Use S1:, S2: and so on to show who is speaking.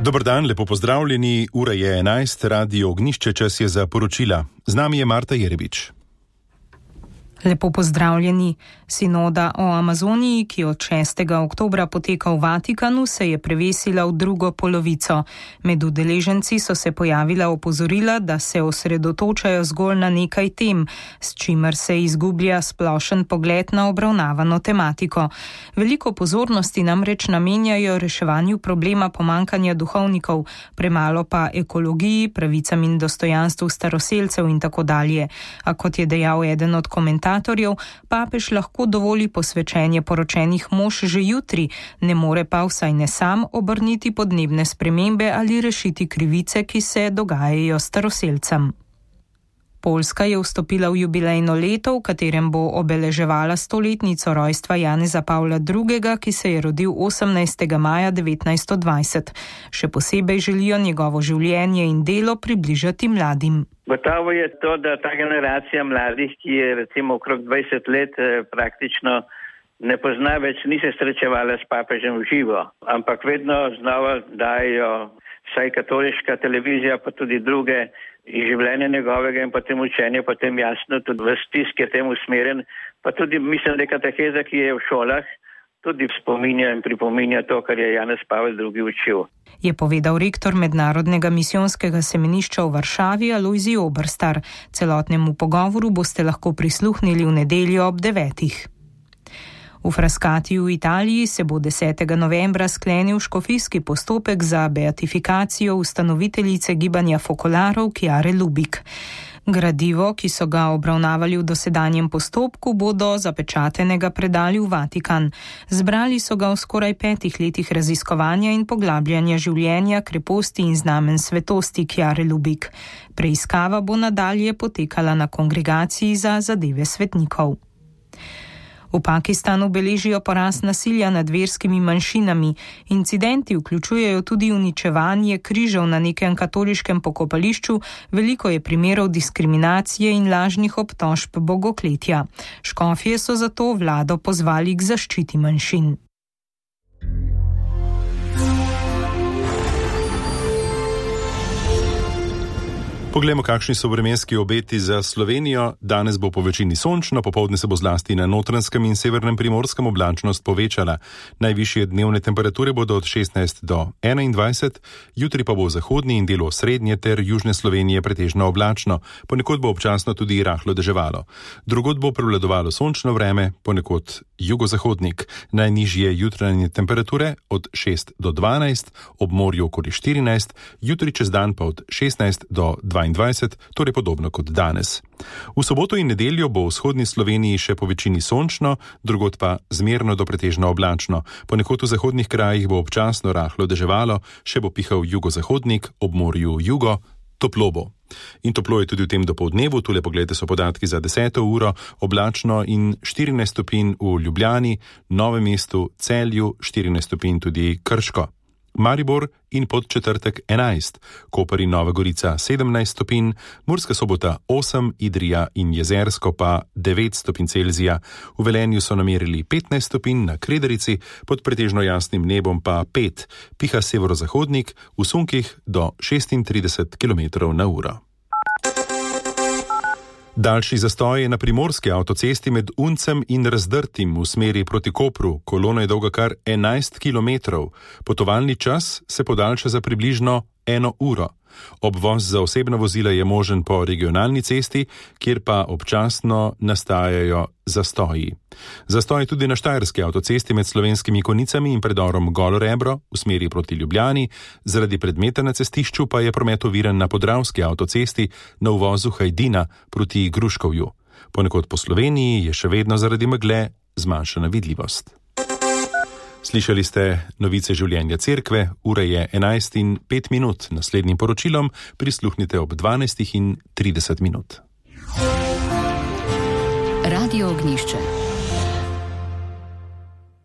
S1: Dober dan, lepo pozdravljeni. Ura je 11, Radio Ognjišče, čas je za poročila. Z nami je Marta Jerebič.
S2: Lepo pozdravljeni. Sinoda o Amazoniji, ki od 6. oktobra poteka v Vatikanu, se je prevesila v drugo polovico. Med udeleženci so se pojavila opozorila, da se osredotočajo zgolj na nekaj tem, s čimer se izgublja splošen pogled na obravnavano tematiko. Veliko pozornosti namreč namenjajo reševanju problema pomankanja duhovnikov, premalo pa ekologiji, pravicam in dostojanstvu staroselcev in tako dalje. A kot je dejal eden od komentatorjev, papež lahko dovoli posvečenje poročenih mož že jutri, ne more pa vsaj ne sam obrniti podnebne spremembe ali rešiti krivice, ki se dogajajo staroselcem. Poljska je vstopila v jubilejno leto, v katerem bo obeleževala 100-letnico rojstva Janeza Pavla II., ki se je rodil 18. maja 1920. Še posebej želijo njegovo življenje in delo približati mladim.
S3: Gotovo je to, da ta generacija mladih, ki je recimo okrog 20 let praktično ne pozna več, ni se srečevala s papežem v živo, ampak vedno znova dajo vsaj katoliška televizija, pa tudi druge, življenje njegovega in potem učenje, potem jasno tudi v stisk je tem usmerjen, pa tudi mislim, da kateheza, ki je v šolah, tudi spominja in pripominja to, kar je Janez Pavel II. Učil.
S2: Je povedal rektor Mednarodnega misijonskega semenišča v Varšavi Alojzij Oberstar. Celotnemu pogovoru boste lahko prisluhnili v nedeljo ob 9. V Frascatiju v Italiji se bo 10. novembra sklenil škofijski postopek za beatifikacijo ustanoviteljice gibanja fokolarov Chiare Lubich. Gradivo, ki so ga obravnavali v dosedanjem postopku, bodo zapečatenega predali v Vatikan. Zbrali so ga v skoraj 5 letih raziskovanja in poglabljanja življenja, kreposti in znamen svetosti Chiare Lubich. Preiskava bo nadalje potekala na kongregaciji za zadeve svetnikov. V Pakistanu beležijo porast nasilja nad verskimi manjšinami. Incidenti vključujejo tudi uničevanje križev na nekem katoliškem pokopališču, veliko je primerov diskriminacije in lažnih obtožb bogokletja. Škofje so zato vlado pozvali k zaščiti manjšin.
S1: Poglejmo, kakšni so vremenski obeti za Slovenijo. Danes bo po večini sončno, popoldne se bo zlasti na Notranjskem in severnem Primorskem oblačnost povečala. Najvišje dnevne temperature bodo od 16 do 21, jutri pa bo v zahodni in delu srednje ter južne Slovenije pretežno oblačno, ponekod bo občasno tudi rahlo deževalo. Drugod bo prevladovalo sončno vreme, ponekod jugozahodnik. Najnižje jutranje temperature od 6 do 12, ob morju okoli 14, jutri čez dan pa od 16 do 22, torej podobno kot danes. V soboto in nedeljo bo v vzhodni Sloveniji še po večini sončno, drugod pa zmerno do pretežno oblačno. Ponekod v zahodnih krajih bo občasno rahlo deževalo, še bo pihal jugozahodnik, ob morju jugo, toplo bo. In toplo je tudi v tem dopoldnevu, tule pogledajte so podatki za 10. uro, oblačno in 14 stopinj v Ljubljani, Novem mestu, Celju, 14 stopinj tudi Krško. Maribor in Podčetrtek 11, Koper in Nova Gorica 17 stopinj, Murska Sobota 8, Idrija in Jezersko pa 9 stopinj Celzija. V Velenju so namerili 15 stopinj, na Kredarici pod pretežno jasnim nebom pa 5, piha severozahodnik, v sunkih do 36 km/h. Daljši zastoj je na primorski avtocesti med Uncem in Razdrtim v smeri proti Kopru. Kolona je dolga kar 11 km. Potovalni čas se podaljša za približno 1 uro. Obvoz za osebna vozila je možen po regionalni cesti, kjer pa občasno nastajajo zastoji. Zastoj je tudi na štajerski avtocesti med Slovenskimi Konicami in predorom Golo Rebro v smeri proti Ljubljani, zaradi predmeta na cestišču pa je promet oviran na podravski avtocesti na uvozu Hajdina proti Gruškovju. Ponekod po Sloveniji je še vedno zaradi megle zmanjšana vidljivost. Slišali ste novice življenja cerkve, ura je 11:05. Naslednjim poročilom prisluhnite ob 12:30.
S4: Radio Ognjišče.